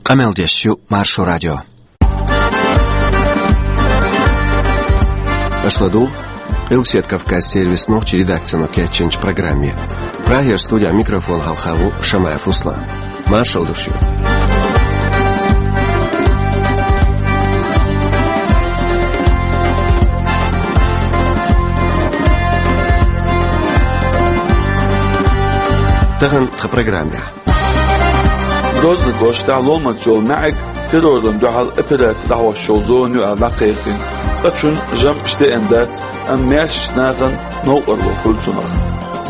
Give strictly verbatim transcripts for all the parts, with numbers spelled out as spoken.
Къамел деш ю Маршо радио. Аша ладугӀу Къилбаседа Кавказ сервисан нохчийн редакцино кечйинчу программе. Прагера студехь микрофон хьалха ву Шамаев Руслан. Маршалла ду шуьга. Тахана тхан программехь. Грозный кӀоштахь ломанца йолу маьӀиг террорна дуьхьал операци дӀахьош йолу зона ю аьлла дӀакхайкхина. Цкъачунна жамӀаш деана дац, амма маьршачу нахана новкъарло хуьлу цунах.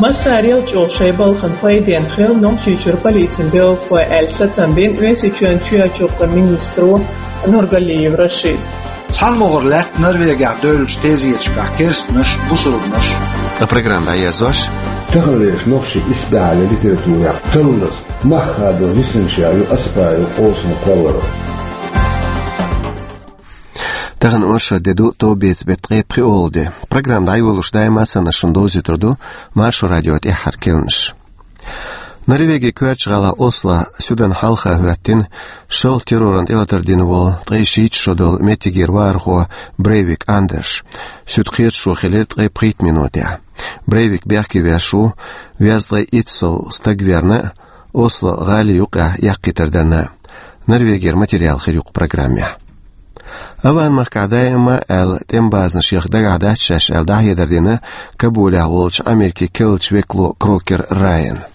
Массарел а чӀогӀа шайн балхана пайденна хилла Нохчийчуьра полицин белхалой аьлла сацам бина Оьрсийчоьнан чоьхьарчу гӀуллакхийн министро Нургалиев Рашида. Цхьана могӀара лаьтта Норвегехь девллачу тезеташкахь керстанаш, бусурбанаш. Ткъа программа дӀаерзош. Таханлерчу нохчийн исбаьхьаллин литературехь таллаза, мах хадо висинчех ю Аспаев Къосина кхолларо. Тахана оршот де ду, товбеца беттан ткъе пхоьалгӀа де. Программа дӀайолош даима а санна шуна довзуьйтур ду Маршо радион тӀаьххьара керланаш. Норвегин коьртачу гӀала Осло суьдан хьалха хӀоьттина шалха террорна тӀелатар дина волу ткъе шийтта шо долу меттигера вахархо Брейвик Андерш. Суьда кхеташо хилира ткъе пхийтта минотехь. Брейвик бехке веш ву, везткъе итт сов стаг верна а, Осло гӀалин юккъехь яккхийтар дарна а. Норвегера материал хир ю кху программехь. Аван-махкахь даима а аьлла тӀеман базанаш яха дагахь дац шаьш аьлла дӀахьедар дина Кабулехь волчу Америкин керлачу векало Крокер Райана.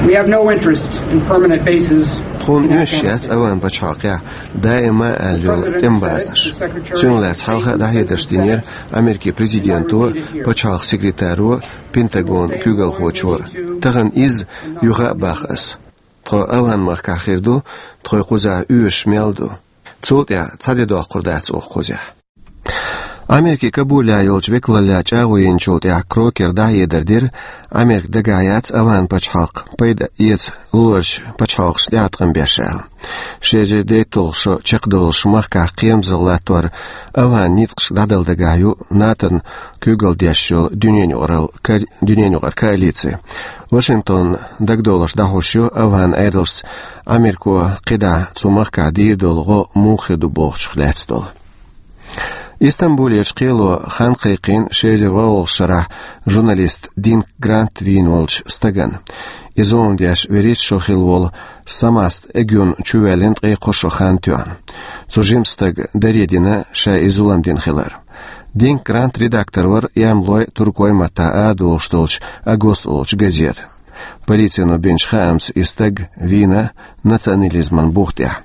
We have no interest in permanent bases. Тхуна оьшуш яц Аван пачхьалкхехь даима а аьлла йолу тӀеман базанаш. Цунах лаьцна хьалха а дӀахьедарш динера Америкин президенто, пачхьалкхан секретаро, Пентагонан куьйгалхочо. Тахана иза юха а боху ас. Тхо Аван-махкахь хир ду, тхо кхузахь оьшуш мел ду. Цул тӀаьхьа цхьа де доккхур дац оха кхузахь. Америкин Кабулехь йолчу векалаллехь чӀагӀо йинчул тӀаьхьа Крокера дӀахьедар дира, Америка дагахь яц Аван пачхьалкх пайда эца лоручу пачхьалкхашна тӀеӀаткъам беш аьлла. Ши эзар дейтталгӀа шо чекхдолуш махкахь кхерамзалла латтор Аван ницкъашка дӀадала дагахь ю НАТОн куьйгалла деш йолу дуьненан юкъаралла ка-, дуьненан юкъара коалици. Вашингтон дагадовларш дӀахьош ю Аван Ӏедалшца Америко кхидӀа цу махкахь дийр долу гӀо муха хир ду бохучух лаьцна долу. Истамбулерчу кхело хан кхайкхийна ши эзар ворхӀалгӀачу шарахь журналист Динк Грант вийна волчу стагана. Иза вовнан деш вуьрхӀитта шо хилла волу Самаст Эгюн чувоьллина ткъе кхо шо хан тоьхна. Цу жимачу стага даре дина ша и зулам дина хилар. Динк Грант редактор вара эрмалойн, туркойн маттахь арадолуш долчу «Агос» олучу газетан. Полицино бинчу хаамца и стаг вийна национализман бух тӀехь.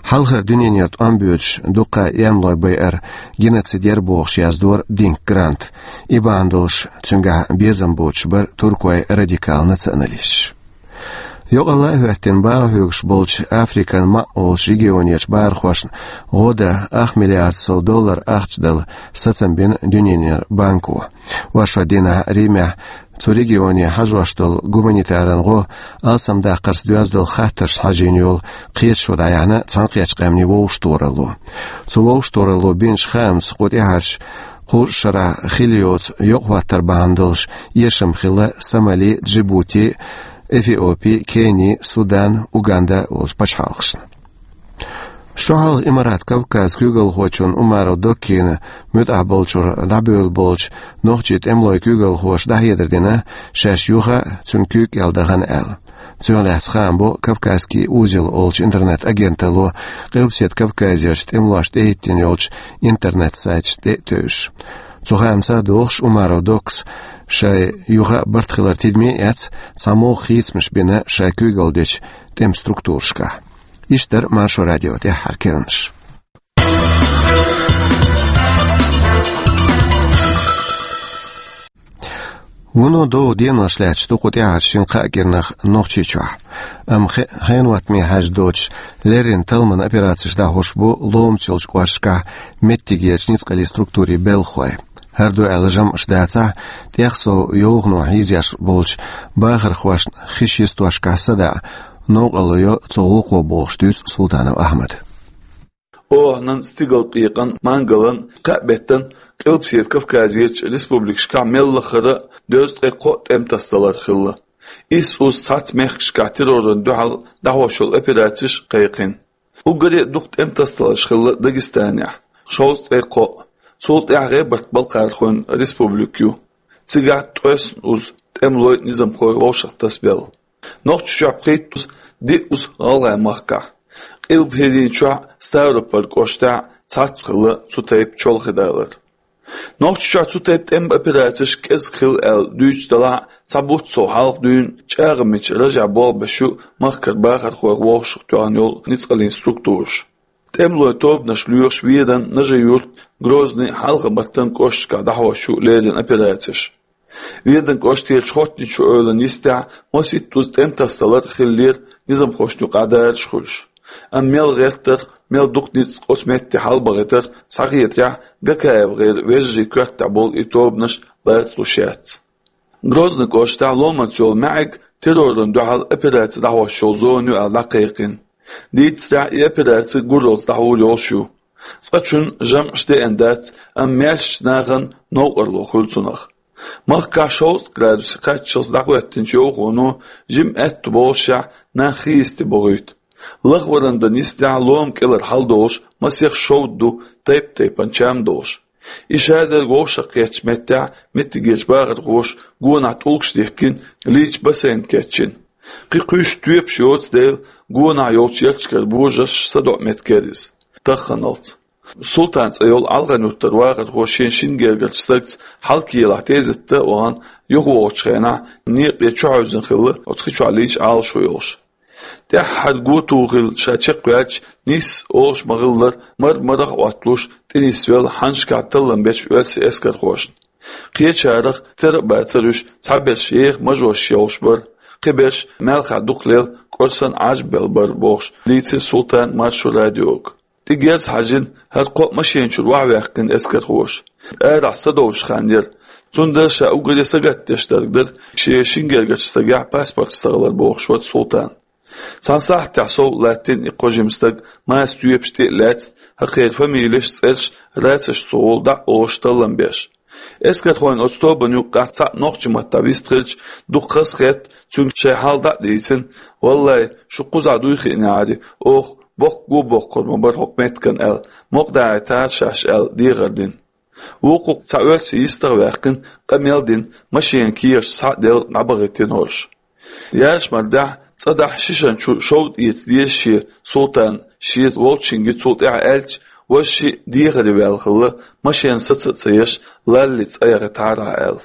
Хьалхара дуьненара тӀом боьдуш дуккха а эрмалой байар геноцид яра бохуш яздора Динк Грант. И бахьана долуш цуьнгахь безам боцуш бара туркойн радикал националисташ. Йокъалла а хӀоьттина бала хьоьгуш болчу Африкан маӀа олучу регионерчу бахархошна гӀо дан ах миллиард сов доллар ахча дала сацам бина Дуьненан банко. Оршот дийнахь Римехь цу регионе хьажош долу гуманитаран гӀо алсамдаккхарца доьзна долу хаттаршна хьажийна йолу кхеташо дӀаяьхьна Цхьаьнакхеттачу Къаьмнийн вовшахтохаралло. Цу вовшахтохаралло бинчу хаамца кху тӀаьхьарчу кхузткъа шарахь хилла йоцу йокъа хӀоттар бахьана долуш эшам хилла Сомали, Джибути, Эфиопи, Кени, Судан, Уганда олучу пачхьалкхашна. Шо хьалха Имарат Кавказ куьйгалхочунна Умаров Доккина муьтӀахь болчуьра дӀабевлла болчу нохчийн тӀемалойн куьйгалхоша дӀахьедар дина, шаьш юха а цуьнан куьйга кӀел дахана аьлла. Цунах лаьцна хаам бо «Кавказский узел» олучу интернет-агенталло, Къилбаседа Кавказерчу тӀемалошна тӀехӀиттийна йолчу интернет-сайташна тӀе а тевжаш. Цу хаамца а догӀуш, Умаров Доккас шайн юха а барт хилар тидаме а эцна, цхьамогӀа хийцамаш бина шайн куьйгалла дечу тӀеман структурашкахь. Иштта дара Маршо радион тӀаьххьара керланаш. Вуно довгӀа денош лаьтташ ду кху тӀаьххьарчу шина-кхаа кӀирнах Нохчийчохь. Амма хе-, хенан хӀоттаме хьаьжна доцуш, леррина талламан операцеш дӀахьош бу ломаца йолчу кӀошташкахь меттигерчу ницкъаллин структурийн белхалой. ХӀара ду аьлла жамӀаш дацахь, тӀех сов йовхано хьийзош болчу бахархошна хиш йистошкахь садаӀа новкъарло йо цу гӀуллакхо бохуш дуьйцу Султанов Ахьмада. Оханан, стигалкъекъан, мангалан, кхаа беттан Къилбаседа Кавказерчу республикашкахь мел лахара дезткъе кхо тӀеман тасадалар хилла. Исс уза цхьацца мехкашкахь террорна дуьхьал дӀахьош йолу операцеш кхайкхина. Уггаре а дукха тӀемтасадаларш хилла Дагестанехь, шовзткъе кхоъ. Цул тӀаьхьа ГӀебарта-Балкхархойн республика ю. Цигахь ткъесна уза тӀемалой, низамхой вовшахтасабелла. Нохчийчохь пхийттаза, диъаза ГӀалгӀай махкахь. Къилба ХӀирийчохь Ставрополь кӀоштахь цхьацца хилла цу тайпа чолхедалар. Нохчийчохь цу тайпа тӀеман операцеш кӀезиг хилла аьлла дуьйцуш делахь а, цхьа бутт сов хьалха дуьйна ЧӀагӀмича Ражехь болх беш ю махкара бахархойх вовшахтоьхна йолу ницкъаллин структураш. ТӀемалойн тобанаш лоьхуш Веданан, Нажи-Юьртан, Грозный, Хьалха-Мартан кӀошташкахь дӀахьош ю леррина операцеш. Веданан кӀоштарчу Хоттаничу ойланан йистехь масийтта уза тӀемтасадалар а хиллера низамхошна юкъахь дараш хуьлуш. Амма мел гӀертарх, мел дукха ницкъ оцу метте хьалабахийтарх схьахетарехь, ГакаевгӀеран вежарийн коьртехь болу и тобанаш лацалуш яц. Грозный кӀоштахь ломанца йолу маьӀиг террорна дуьхьал операци дӀахьош йолу зона ю аьлла дӀакхайкхийна. Дийцарехь, и операци гураллица дӀахьур йолуш ю. Цкъачунна жамӀаш деана дац, амма маьршачу нахана новкъарло хуьлу цунах. Махкахь шовзткъа градусе кхаччалц дӀахӀоьттинчу йовхоно жимма аьтту боллушехь нах хи йисте бохуьйту. Лахваран дан йистехь лома кӀелара хьаладолуш масех шовда ду, тайп-тайпана чам долуш. И шадерг вовшахкхеттачу меттехь меттигерчу бахархоша гонахь тӀулгаш дихкина, лийча бассейн кечйина. Кхин кхуьйсуш тоьпаш йоцу дела, гонахь йолчу ярташкара божарш садоӀу меттиг яра иза, тахханалц. Султан цӀе йолу Алхан-Юьртара вахархо шен шина гергарчу стагца хьалкелахь тезетта а вахана, юхавогӀучу хенахь некъа тӀе чухьевзина хилла, оцу хи чохь лийча Ӏалашо йолуш. ТӀаьххьара го тухийла ша чекхваьлча, нийсса олуш ма-хиллара, мар-марах а Ӏотталуш, тӀенисвелла хьаннашкахь таллам бечу оьрсийн эскархошна. Кхечарах тера а бацара уьш, цхьаберш еха мажош йолуш бара, кхиберш маьлхахь дукха лела кӀорсан Ӏаж а белла бара, бохуш, дийцира Султана Маршо радиога. ТӀе герз хьажийна, хӀара кхоъ машен чуьра охьаваьккхина эскархоша. Арахь садовлуш хан яра. Цундела ша уггаре сагатдеш дерг дара шен шина гергарчу стагехь паспорташ ца хилар, бохуш вара Султан. Цхьана сахьтехь сов латтийна и кхо жима стаг, маса тоьпаш тӀе а лаьцна, хӀокхеран фамилеш а, цӀерш а рацашца гӀолла дӀа а олуш, таллам беш. Эскархойн оцу тобанна юккъехь цхьаъ нохчийн маттахь вистхилча, дукха хазахетта, цуьнга шайн хьал дӀа а дийцина: «Валлай, шу кхузахь дуй хиънехьарий, оха боккха го боккхур ма бара хӀокху меттиган», — аьлла, мукъадахьийтахьара шаьш аьлла, дехар дина. Вукху цхьа оьрси йистах а ваьккхина, къамел а дина, машенан кехаташ схьа а делла, дӀабахийтина хӀорш. Ярыш мардехь, цӀа дахьа шишан чу шовда эца деза шен Султана шеца волчуьнга цул тӀаьхьа аьлча, важа шиъ дехаре ваьлла хилла, машен саца а ца еш, лаллий цӀа яхийтахьара аьлла.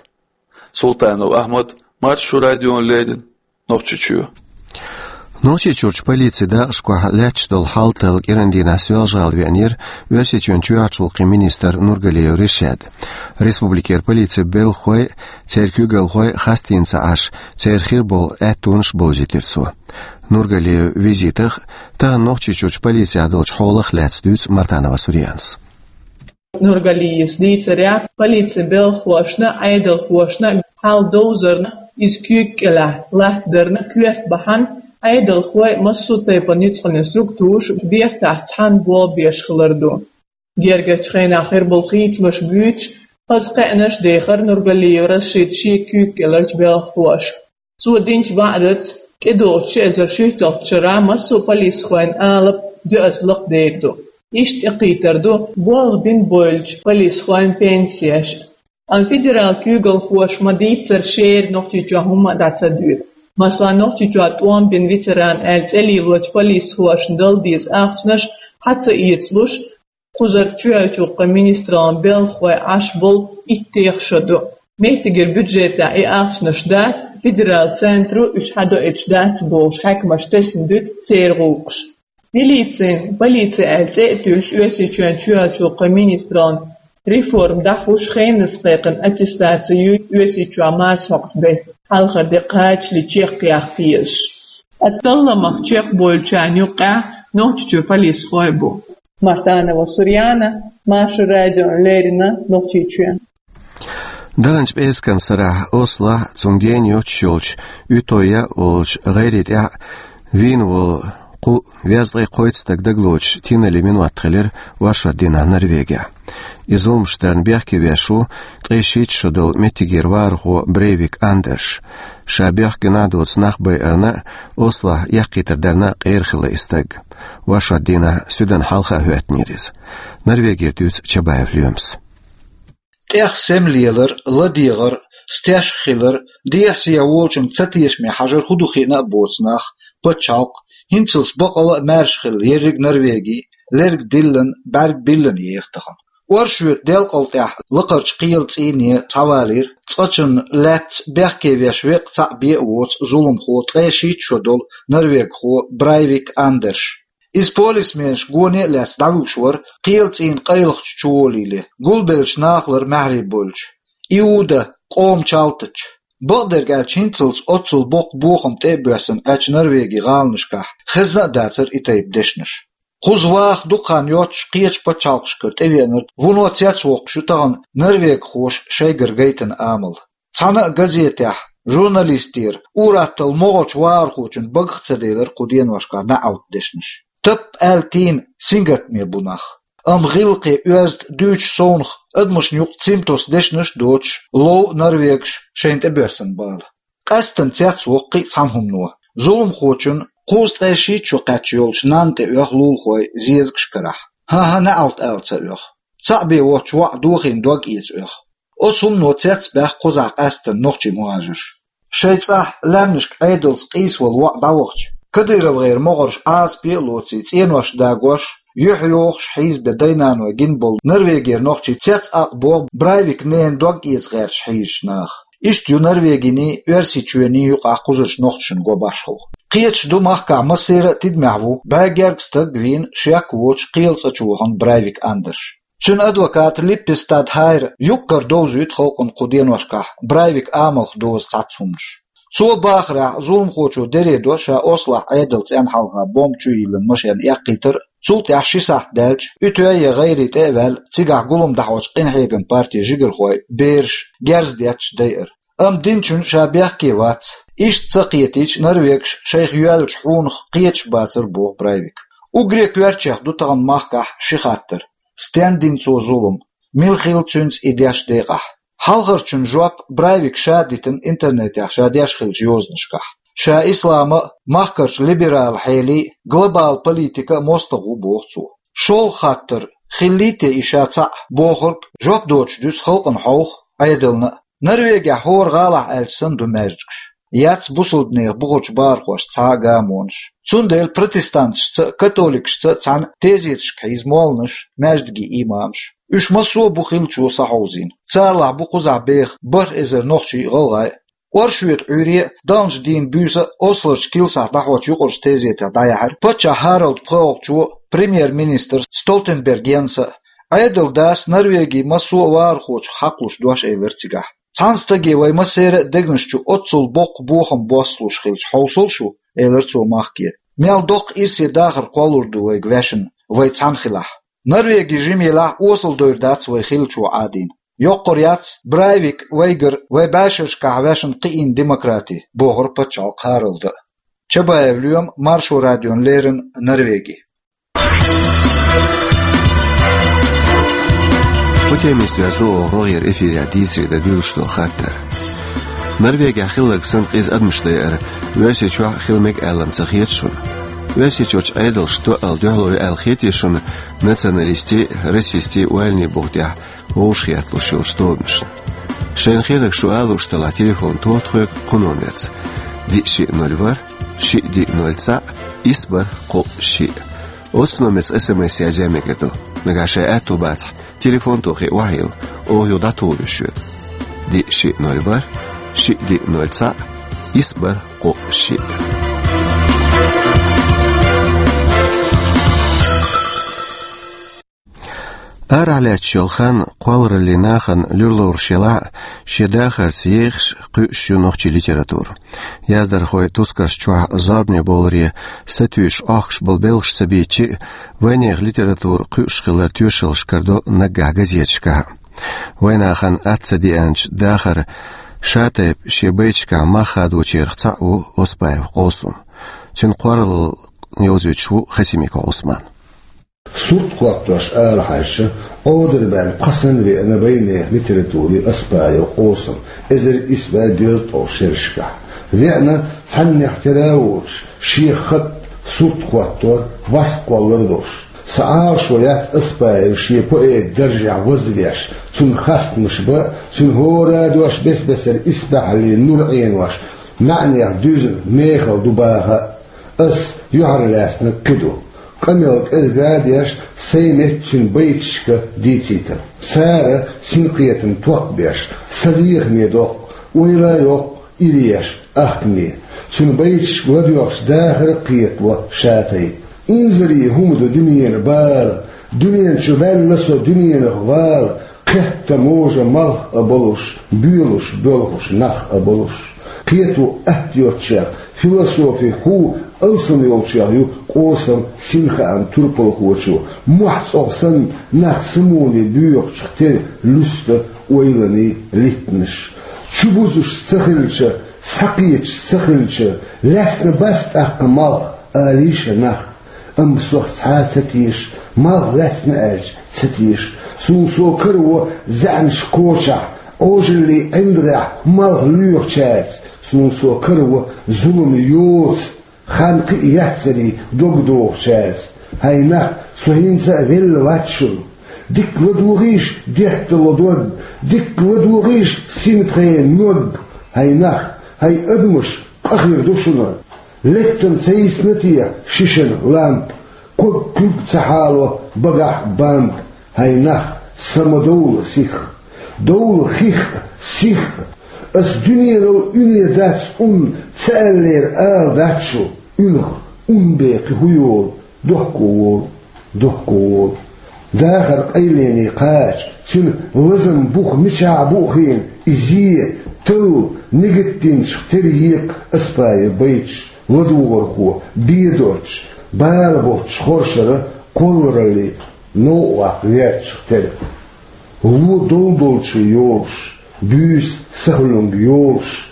Султанов Ахьмад, Маршо радиона леррина, Нохчийчоь. Нохчийчуьрчу полицин дакъашкахь лаьтташ долу хьал талла кӀиран дийнахь Соьлжа-ГӀала веанера Оьрсийчоьнан чоьхьарчу гӀуллакхийн министр Нургалиев Ришад. Республикера полицин белхахой а, церан куьйгалхой а хастийна ца Ӏаш, церан хир болу аьттонаш а бовзийтира цо. Нургалиевн визитах а, тахана Нохчийчуьрчу полицехь долчу хьолах а лаьцна дуьйцу Мартанова Сурьянас. Нургалиевс дийцарехь, полицин белхахошна а, Ӏедалхошна а хьал довзарна, иза куьйга кӀелахь латтадарна коьрта бахьана, Ӏедалхой а, массо а тайпана ницкъаллин структураш а бертахь цхьаьна болх беш хилар ду. Гергарчу хенахь хир болу хийцамаш буьйцуш, хаза кхаьънаш а дехира Нургалиев Рашидан шен куьйга кӀеларчу белхахоша. Цо динчу ваӀдаца, тӀедогӀучу ши эзар шуьйтталгӀачу шарахь массо а полисхойн алапа доьазза лакхадер ду. Иштта тӀекхийтар ду болх бина бевллачу полисхойн пенсеш. Амма федералан куьйгалхоша ма-дийццара шера Нохчийчохь хӀумма а дӀа ца доьду. Масала, Нохчийчохь тӀом бина ветеран аьлла цӀе лелочу полисхошна дала деза ахчанаш схьа ца эцалуш, кхузара чоьхьарчу гӀуллакхийн министраллин белхахой Ӏаш болу иттех шо ду. Меттигера бюджетехь и ахчанаш дац, федералан центро уьш схьадоуьйтуш дац бохуш, хьаькамаша тесна дуьту церан гӀуллакхаш. Милицин полици аьлла цӀе а туьллуш, Оьрсийчоьнан чоьхьарчу гӀуллакхийн министраллин реформа дӀахьуш, хеназа кхайкхина аттестаци ю Оьрсийчохь марсхьокху беттан хьалхара де кхачале чекхъяккха езаш. Оцу талламах чекхбевллачарна юккъехь Нохчийчуьра полисхой а бу. Мартанова Сурьяна, Маршо радиона леррина, Нохчийчоь. Даханчу пӀераскан сарахь Ослохь, цунна гена йоцуш йолчу Утойя олучу гӀайре тӀехь вийна волу кху везткъе кхойтта стаг дагалоцуш тинале минот хилира оршот дийнахь Норвегехь. И зуламаш дарна бехке веш ву ткъе шийтта шо долу меттигера вахархо Брейвик Андерш. Ша бехк гина доцу нах байарна а, Ослохь яккхийтар дарна а къера хилла и стаг. Оршот дийнахь Суьдан хьалха хӀоьттинера иза. Норвегера дуьйцу Чабаев Лоьмас. ТӀех сема лелар, ладегӀар, стеш хилар, дехьа сехьа волчуьнга цатешаме хьажар хӀун ду хиъна а боцу нах, пачхьалкх, хӀинцалц бакъала а маьрша хилла ерриг Норвеги, лерг диллина, бӀаьрг биллина еха тахана. Оршота делкъал тӀехь лакхарчу кхелан цӀийне схьавалийра цкъачунна лаьцна бехке веш веккъа цхьаъ бен а воцу зуламхо, ткъе шийтта шо долу норвегхо Брайвик Андерш. Иза полисменаш гоне а лаьцна дӀавуьгуш вара, кхелан цӀийнан къайлахчу чу волийла, гулбеллачу нахалара маьхьарий болчу, Иуда къоман чалтачу. Бакъдерг аьлча, хӀинцалц оццул боккха бохам тӀе а боьссина Ӏачу Норвеги гӀаланашкахь хезна а дацара и тайпа дешнаш. Кхуза ваха дукха хан йоццуш кхечу пачхьалкхашкара тӀевеанарг вуно цецвоккхуш ю тахана норвегхоша шайгара гайтина амал. Цхьана а газетехь журналистера, ур-атталла могӀарчу вахархочун багах ца делира кху деношкахь неӀалт дешнаш. Тапп аьлла тийна сингаттаме бу нах. Амма гӀиллакхе оьзда дуьйцуш совнаха адамашна юкъа цим тосу дешнаш а доцуш, лов норвегаш шайна тӀебоьссина бала. Къаьсттина цецвоккху кхин а цхьана хӀумано. Зуламхочун кхузткъе шийтта шо кхаьчна йолчу нанна тӀе оьху лулахой зезагаш карахь. ХӀан-хӀа, неӀалт ала ца оьху. Цхьаъ бен воцчу воӀа дохийна дог эца оьху. Оцу хӀумано цецбаьхна кхузахь къаьсттина нохчий мухӀажарш. Шайн цӀахь лаьмнашка Ӏедалца къийсавала воӀ дӀавахча, КадыровгӀеран могӀарш Ӏазапе а лоций, цӀенош дагош, юьхь йохуш хьийзабен дай-наной гина болу Норвегера нохчий цецъаккха боху Брайвикан ненан дог эца гӀерташ хьийзачу наха. Иштта ю Норвегиний, Оьрсийчоьний юкъахь кхузарчу нохчашна го башхалла. Кхеташ ду, махкахь массеран а тидамехь ву бӀе гергга стаг а вийна, шек а воцуш кхелан цӀа чу вахана Брайвик Андерш. Цуьнан адвоката Липпестад Хайра юккъера довзуьйту халкъана кху деношкахь Брайвикан амалх дозу цхьацца хӀуманаш. Цо бахарехь, зуламхочо дере до ша Ослохь Ӏедалан цӀенна хьалха бомба чу йиллина машен эккхийтар а, цул тӀаьхьа ши сахьт даьлча, уьтуьй я гӀайрий тӀе а ваьлла, цигахь гулам дӀахьочу къинхьегаман партин жигархой, бераш, герз детташ дайар. Амма динчунна ша бехке вац. Иштта ца кхетийча, норвегаш шайх йоьллачу хьунах кхеташ бацара, боху Брайвика. Уггаре коьртачех ду тахана махкахь ши хаттар: стенна дина цо зулам, мила хилла цуьнца и деш декъахь? Хьалхарчун жоп Брайвика ша дитина интернетехь ша деш хиллачу йозанашкахь. Ша ислама а, махкарчу либерал хьелий а, глобал политика а мостагӀа ву, боху цо. ШолгӀа хаттар: хиллий те и ша цхьаъ бохург, жоп доцуш дуьсу халкъана хьовха, Ӏедална а. Норвегехь хӀора гӀалахь аьлча санна ду маьждигаш. Яц бусалбанех бухарчу бахархошца цхьа а гамонаш. Цундела протестанташца а, католикашца а цхьаьна тезеташка хьийза молланаш, маьждиган имамаш. Уьш массо а бу хиллачо схьахьовзийна. Царалахь бу кхузахь беха бархӀ эзар нохчий а, гӀалгӀай а. Оршота Ӏуьйре а, далначу дийнан буьйса а Осларчу килсахь дӀахьочу юкъарчу тезетехь дӀаяьхьира паччахь Харальд пхоьалгӀачо а, премьер-министр Столтенберг Йенса а. Ӏедалан дас Норвегин массо а вахархочух хьакхалуш дош элира цигахь. Цхьана стаге вай массеран а дегнаш чу оццул боккха бохам боссалуш хилча, хьовсал шу, элира цо махке. Мел доккха ирсе дахар кхоллалур ду вайга вешан, вай цхьаьна хилахь. Норвеги жима елахь а, осалдойр дац вай хиллачо Ӏадийна. Йоккхур яц Брайвик вайгара вай бӀешерашкахь вешан кхиийна демократи, бохура паччахьалкхан Харальда. Чабаев Лоьма, Маршо радиона леррина, Норвеги. Кху темист веза оха рогӀера эфирехь дийцаре дан дуьйлуш долу хаттар. Норвегехь хилларг санна къиза адамаш дайар Оьрсийчохь а хила мега аьлла ма ца хета шуна? Оьрсийчуьрчу Ӏедалш тоъал дуьхьало ю аьлла хетий шуна националистийн а, расистийн а ойланийн буха тӀехь вовшахгӀерта луш йолчу тобанашна? Шайна хетарг шу ала лууш делахь, телефон тоха тхоьга кху номерца: диъ шиъ ноль ворхӀ, шиъ диъ ноль цхьаъ, исс бархӀ кхоъ шиъ. Оцу номерца эс эм эс язъян мегар ду. Нагахь шайн аьтто бацахь, телефон тохий охьайилла, оха юха дӀатухур ю шуьга. Диъ шиъ ноль ворхӀ, шиъ диъ ноль цхьаъ, исс бархӀ кхоъ шиъ. Арахь лаьтташ йолу хан кхоллараллин нахана луьра лоруш елахь а, шен дахарца ехаш, кхуьуш ю нохчийн литература. Яздархойн тускарш чохь зорбане бовларе сатуьйсуш Ӏохкуш болу белхаш ца бийцича а, вайнехан литература кхуьуш хилар тоьшаллаш карадо наггахь газеташкахь а. Вайнахана атта ца деанчу дахаран шатайпа шен байташкахь мах хадочарах цхьаъ ву Оспаев Къосум. Цуьнан кхолларалла йовзуьйтуш ву Хасимиков Ӏусман. Сурт хӀоттош ала хьаьжча, Ӏодар баьлла пхи санна веана вайнехан литературин Оспаев Къосум эзар исс бӀе дезткъе шерашкахь. Веана цхьаннех тера а воцуш, шен хатта Сурт хоттор, васт кхоллар долуш. Сан Ӏалашо яц Аспаев шен поэта даржехь вазвеш, цунна хастамаш бан, цуьнан хӀора дош бес-бесара исбаьхьаллин нур Ӏенош, маьӀнех дуьзна мехала ду баха а. Ас юьхьарлаьцнарг кхин ду. Къамел кӀезга а деш, сайн метта цуьнан байташка дийцийтар. Цара синкхетам токхабеш, сан лехаме доккху, ойла а йоккху, иреш, ахкаме. Цуьнан байташка ладоьгӀуш дахар а кхетаво ша тайпа. Инзаре хӀума ду дуьненан бала, дуьнен чу ваьлла со дуьненах вала, кхетта можа малх а болуш, боьлуш, боьлхуш нах а болуш. Кхето атта йоцучех, философи хьу алсам йолчех ю къосам синхаам турпалхочо, мохь цӀогӀа санна нах самоне боьхачух тера луьста ойланийн литтанаш. Чубузуш ца хилча, схьакхеташ ца хилча, лаьцна бац тӀаккха малх, олийша нах. Амма сох цхьа а ца теша, малх лаьцна аьлча ца теша. Суна со караво заьӀнаш кочахь, Ӏожаллин ӀиндагӀехь малх лоьхучаьрца. Суна со караво зулам йоцу, хан кхин а яццарий дог дохучаьрца. ХӀай нах, со хӀинца а велла вац шуна. Дика ладогӀийша детталгӀа дог, дика ладогӀийша синпхенан ног. ХӀай нах, хӀай адамаш, къа хир ду шуна. Леттана ца йисна те шишина лампа, ког куьг ца хьало багахь бамба. ХӀай нах, са ма довла сих, довла хих а, сих а. Ас дуьненал уьне дац ун, ца аьллера ала дац шу, уьлха ун бен кхин хӀун йолу, дохко волу, дохко волу. Дахар къайлене кхача, цуьнан лазам бух мичахь бу хиъна, и зе, талла, нигат динчух тера екха Аспаев байташ, ладугӀархо, бедоцуш, бала боцуш хоршара кхоллараллин новкъа ваккха верчух тера. Ло долу долчу йолуш, буьйса сахьулунг йолуш,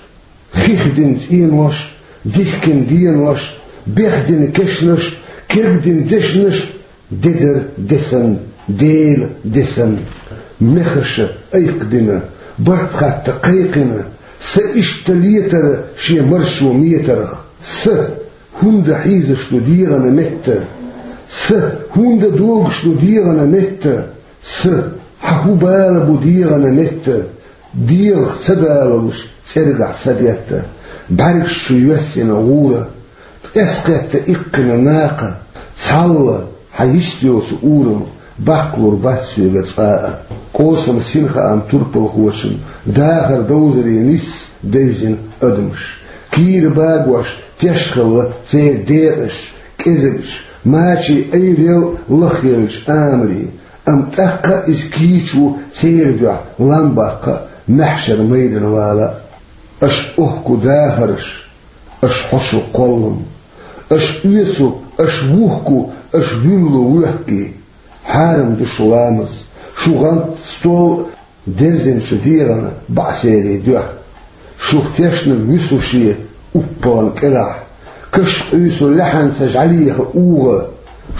хих дина цӀенош, дихкина денош, бехдина кешнаш, кегдина дешнаш, де дара де санна, Дела де санна. Мехаша айкхабина, барт хатта кхайкхина, са иштта летара шен маршо метарх. Са, хӀунда хьийзаш ду дегӀана метта? Са, хӀунда догуш ду дегӀана метта? Са, хьан хӀун бала бу дегӀана метта? ДегӀах ца далалуш, цӀергахь са детта. БӀаьргаш чу йоьссина гӀура, ткъес кхетта иккхина накха. Цхьалла, хьан йист йоцу урам, баккхалур бац соьга цкъа а. Къосам синхаам турпалхочун дахар довзаре нисса девзина адамаш. Кийра багош теш хилла церан декъаш, кӀезигаш, мачийн айрел лахъеллачу амарийн. Амма тӀаккха а иза кийча ву церан дуьхьа лам баккха а, маьхьшар майдана вала а. Аша охку дахарш, аша хьошо кхоллам. Аша оьцу, аша вухку, аша вуьллу вуьхкий. Хьарам ду шу ламаз, шу гӀант стол а, дерзина шу дегӀана баӀсерийн дуьхьа. Шух тешна вуьсу шен уппагӀан кӀелахь. Каш къуьйсу лаьхьанца жӀалеха угӀа.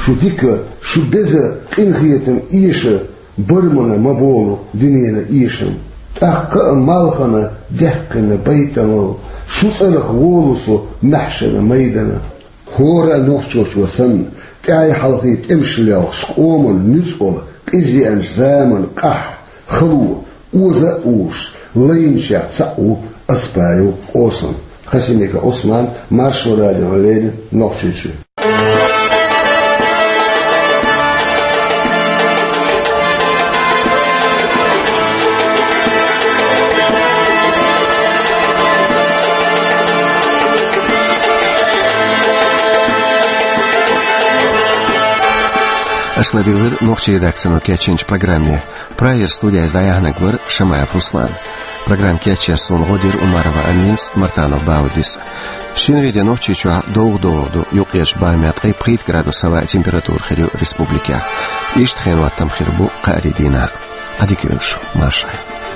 Шу дика, шу беза къинхетам эша, бармана ма болу дуьненан эшам. ТӀаккха а малхана даьккхина байтамал, шу цӀарах волу со маьхьшана майдана. ХӀора а нохчочо санна, тӀаьхьа хьалхе тӀемаш лелхаш къоман нуьцкъала, къизъеанчу заманан къахь, хало, оза а уьш, лайначех цхьаъ ву Аспаев Къосам. Хасимиков Ӏусман, Маршо радиона леррина, Нохчийчоь. Аша ладуьйгӀира нохчийн редакцино кечйинчу программе. Прагера студехь иза дӀаяьхьнарг вара Шамаев Руслан. Программа кечъеш суна гӀо дира Умарова Аминас, Мартанов Баудис. Шинарин де Нохчийчохь довгӀа догӀур ду юккъерчу бӀе меткъий пхийтта градус хӀаваъ температура хир ю республикехь. Иштта хенан хӀоттам хир бу кхаарин дийнахь. Ӏадика йойла шу, марша Ӏойла.